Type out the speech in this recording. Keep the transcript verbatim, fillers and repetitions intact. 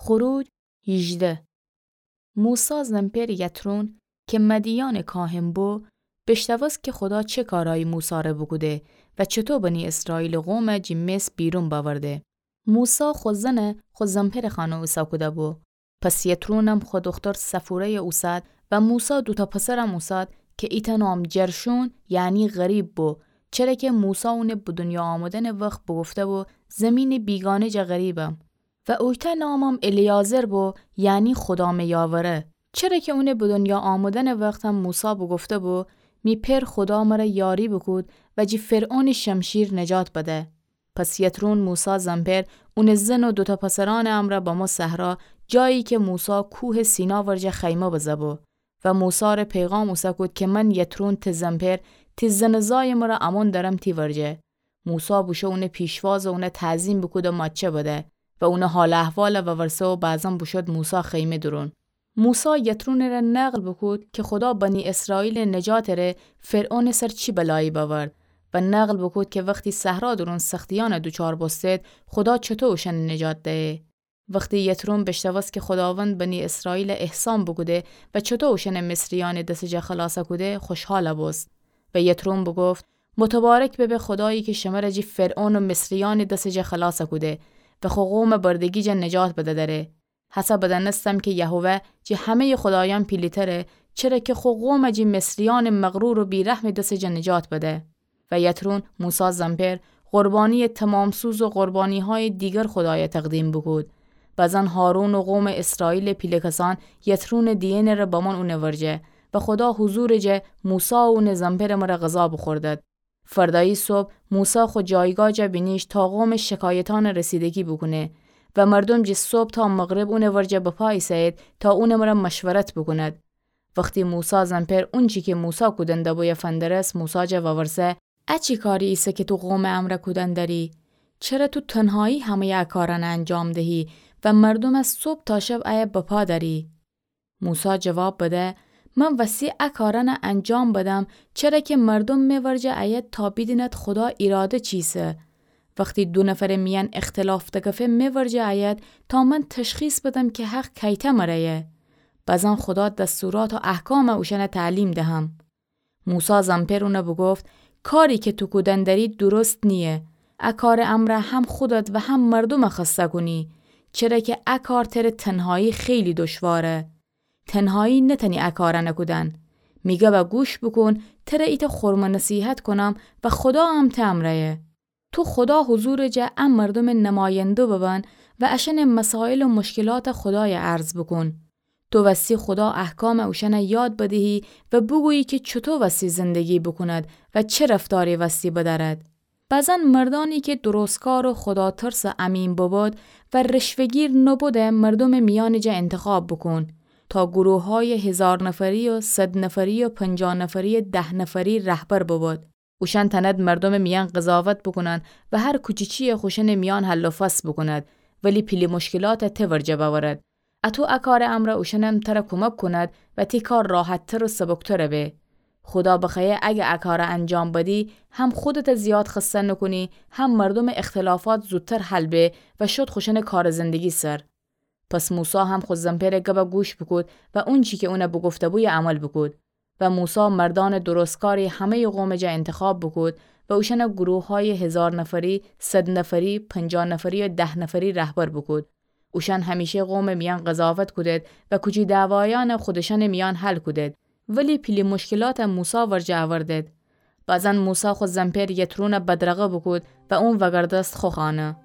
خروج هیجده. موسی زنپئر یترون کی مدیانٚ کاهن بو، بیشنوست کی خودا چه کارایی موسی ره بوکوده و چوطو بنی اسرائیلٚ قوم جی مصر بیرون بأورده. موسی خو زن خو زنپئرٚ خانه اوسه کوده بو. پس یترونم خو دوختر صفوره‌یَ اوسد و موسی دوتأ پسرم اوسد کی ایتأ نام جرشون، یعنی غریب بو، چره کی موسی اونٚ به دونیا آمدنٚ وخت بوگفته بو زیمینٚ بیگانه جا غریبم. و اویتأ نامم الیعزر بو، یعنی خودا می یاوره. چره کی اونٚ به دونیا آمدنٚ وختم موسی بوگفته بو، می پئر خودا مره یاری بوکود و جی فرعونٚ شمشیر نجات بده. پس یترون موسی زنپئر اونٚ زن و دوتأ پسرأنٚ امرأ بمو صحرا، جایی کی موسی کوهٚ سینا ورجه خیمه بزه بو. و موسی ره پیغام اوسه کود کی من یترون ته زنپئر، تی زنٚ زایٚ مره امون دأرم تی ورجه. موسی بوشو اونٚ پیشواز و اونه تعظیم بوکود و ماچه بده و اونٚ حال احوال وورسه و بعضاً بوشود موسی خیمه دورون. موسی یترونٚ ره نقل بوکود کی خودا بنی اسرائیلٚ نجاتٚ ره فرعونٚ سر چی بلایی بأورد و نقل بوکود کی وختی صحرا دورون سختیأن دوچار بوستید، خودا چوطو اوشأنٚ نجات دهه. وختی یترون بیشنوست کی خوداوند بنی اسرائیل احسان بوکوده و چوطو اوشأن مصریأنٚ دسٚ جا خلاص کوده، خوشحال بوست. و یترون بوگفت، متبارک ببه خودایی کی شمر جی فرعون و مصریأنٚ دسٚ جا خلاص کوده و خو قوم بردگی جا نجات بده دره. هسه بدأنستم کی یهوه جی همه‌یٚ خودایأن پیلی‌تره، چره کی خو قوم جی مصریأنٚ مغرور و بی‌رحمٚ دسٚ جا نجات بده. و یترون موسی زنپئر قربانیٚ تمام‌سوز و قربانی‌هایٚ دیگر خودایَ تقدیم بوکود. بعضاً هارون و قومٚ اسرائیلٚ پیله کسأن یترونٚ دینه ره بمون اونٚ ورجه و خودا حضورٚ جا موسی و اونٚ زنپئرٚ مره غذا بوخوردد. فردایی صبح موسی خو جایگاه جا بینیشت تا قومٚ شکایتأن رسیدگی بوکونه و مردوم جی صبح تا مغرب اونٚ ورجه بپا ایسه‌یید تا اونٚ مره مشورت بوکوند. وختی موسی زنپئر اونچی کی موسی کودن دبویه فندرست، موسی جا وورسه، ا چی کاری ایسه کی تو قومٚ امرأ کودن دری؟ چره تو تنهایی همه‌یٚ ا کارأن انجام دهی و مردوم از صبح تا شب ایه بپا دأری؟ موسی جواب بده، من وستی ا کارأن انجام بدم، چره کی مردوم می ورجه ایید تا بیدیند خودا ایراده چیسه. وختی دو نفرٚ میأن اختلاف دکفه می ورجه ایید تا من تشخیص بدم کی حق کیتأ مره‌یه. بعضاً خودا دستورات و احکام اوشأن تعلیم دهم. موسی زنپئر اون بوگفت، کاری کی تو کودن دری درست نییه. ا کارٚ امرأ هم خودت و هم مردوم خسته کونی، چره کی ا کار تره تنهایی خیلی دشواره. تنهایی نتأنی ا کارأن کودن. می گبَ گوش بوکون، تره ایتأ خرمٚ نصیحت کونم و خودا هم ته امرأیه. تو خودا حضورٚ جا ا مردومٚ نماینده ببن و اشأنٚ مسائل و مشکلات خودایَ عرض بوکون. تو وستی خودا احکام اوشأن یاد بدهی و بوگویی کی چوطو وستی زندگی بوکوند و چه رفتاری وستی بدأرد. بعضاً مردأنی کی درستکار و خوداترس و امین ببد و رشوه‌گیر نبد، مردومٚ میأنٚ جا انتخاب بوکون تا گروه‌هایٚ هیزار نفری و صد نفری و پنجاه نفری و ده نفری رهبر ببد. اوشأن تأند مردومٚ میأن قضاوت بوکونند و هر کوچیچی‌یَ خوشأنٚ میأن حل و فصل بوکوند، ولی پیلی مشکلاتَ ته ورجه بأورد. اتو ا کارٚ امرأ اوشأنم تره کومک کونید و تی کار راحت‌تر و سبک‌تر به. خودا بخوأیه اگر ا کارَ انجام بدی، هم خودتَ زیاد خسته نوکونی، هم مردومٚ اختلافات زودتر حل به و شد خوشأنٚ کارٚ زندگی سر. پس موسی هم خو زنپئرٚ گبَ گوش بوکود و اونچی کی اون بوگفته‌بو عمل بوکود. و موسی مردأنٚ درستکاری همه‌یٚ قومٚ جا انتخاب بوکود و اوشأنَ گروه‌هایٚ هیزار نفری، صد نفری، پنجاه نفری و ده نفری رهبر بوکود. اوشأن همیشه قومٚ میأن قضاوت کودید و کوچی دعوایأنَ خودشأنٚ میأن حل کودید، ولی پیلی مشکلاتَ موسی ورجه اوردید. بعضاً موسی خو زنپئر یترونَ بدرقه بوکود و اون وأگردست خو خانه.